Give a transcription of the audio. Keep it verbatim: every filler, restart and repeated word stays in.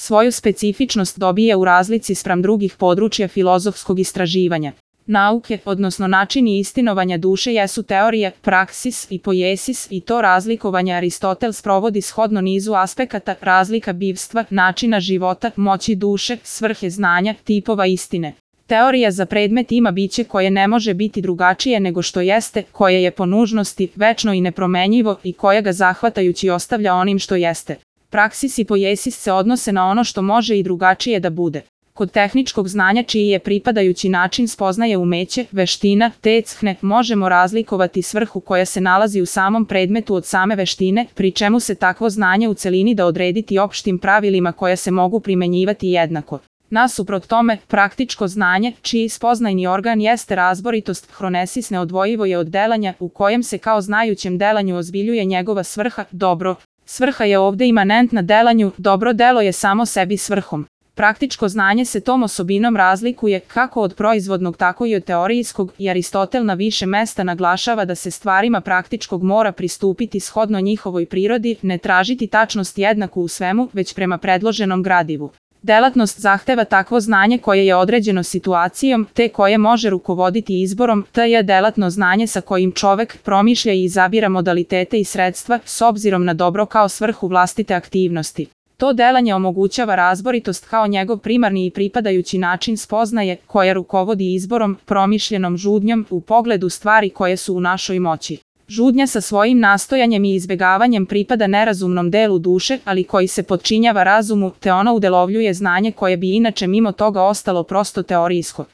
svoju specifičnost dobija u razlici spram drugih područja filozofskog istraživanja. Nauke, odnosno načini istinovanja duše jesu teorija, praksis i poiesis i to razlikovanje Aristotel sprovodi shodno nizu aspekata, razlika bivstva, načina života, moći duše, svrhe znanja, tipova istine. Teorija za predmet ima biće koje ne može biti drugačije nego što jeste, koje je po nužnosti večno i nepromenjivo i koje ga zahvatajući ostavlja onim što jeste. Praksis i poiesis se odnose na ono što može i drugačije da bude. Kod tehničkog znanja čiji je pripadajući način spoznaje umeće, veština, tecne, možemo razlikovati svrhu koja se nalazi u samom predmetu od same veštine, pri čemu se takvo znanje u celini da odrediti opštim pravilima koja se mogu primenjivati jednako. Nasuprot tome, praktičko znanje, čiji spoznajni organ jeste razboritost, hronesis neodvojivo je od delanja, u kojem se kao znajućem delanju ozbiljuje njegova svrha, dobro. Svrha je ovde imanentna delanju, dobro delo je samo sebi svrhom. Praktičko znanje se tom osobinom razlikuje kako od proizvodnog tako i od teorijskog i Aristotel na više mesta naglašava da se stvarima praktičkog mora pristupiti shodno njihovoj prirodi, ne tražiti tačnost jednaku u svemu, već prema predloženom gradivu. Delatnost zahteva takvo znanje koje je određeno situacijom, te koje može rukovoditi izborom, te je delatno znanje sa kojim čovek promišlja i izabira modalitete i sredstva s obzirom na dobro kao svrhu vlastite aktivnosti. To delanje omogućava razboritost kao njegov primarni i pripadajući način spoznaje, koja rukovodi izborom, promišljenom žudnjom u pogledu stvari koje su u našoj moći. Žudnja sa svojim nastojanjem i izbegavanjem pripada nerazumnom delu duše, ali koji se potčinjava razumu, te ono udelovljuje znanje koje bi inače mimo toga ostalo prosto teorijsko.